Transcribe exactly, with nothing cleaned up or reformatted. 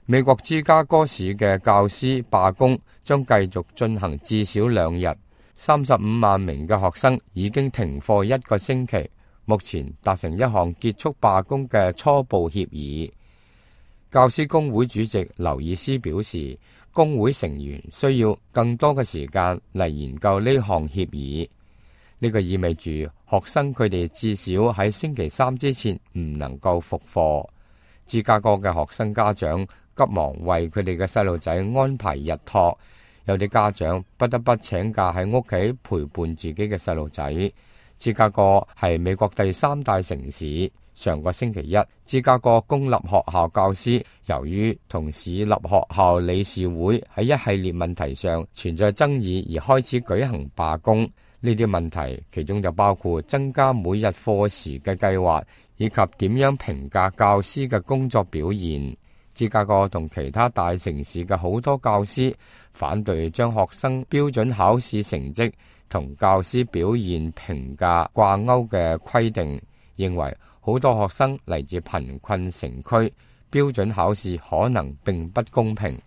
美國芝加哥市嘅教師罷工將繼續進行至少兩日，三十五萬名嘅學生已經停課一個星期，目前達成一項結束罷工嘅初步協議。教師工會主席劉易斯表示，工會成員需要更多嘅時間嚟研究呢項協議。呢個意味住學生佢哋至少喺星期三之前唔能夠復課。芝加哥嘅學生家長急忙為佢哋嘅細路仔安排日托，有啲家長不得不請假喺屋企陪伴自己嘅細路仔。芝加哥係美國第三大城市。上個星期一，芝加哥公立學校教師由於同市立學校理事會喺一系列問題上存在爭議而開始舉行罷工。呢啲問題其中就包括增加每日課時嘅計劃，以及點樣評價教師嘅工作表現。芝加哥同其他大城市嘅好多教師反對將學生標準考試成績同教師表現評價掛鈎嘅規定，認為好多學生嚟自貧困城區，標準考試可能並不公平。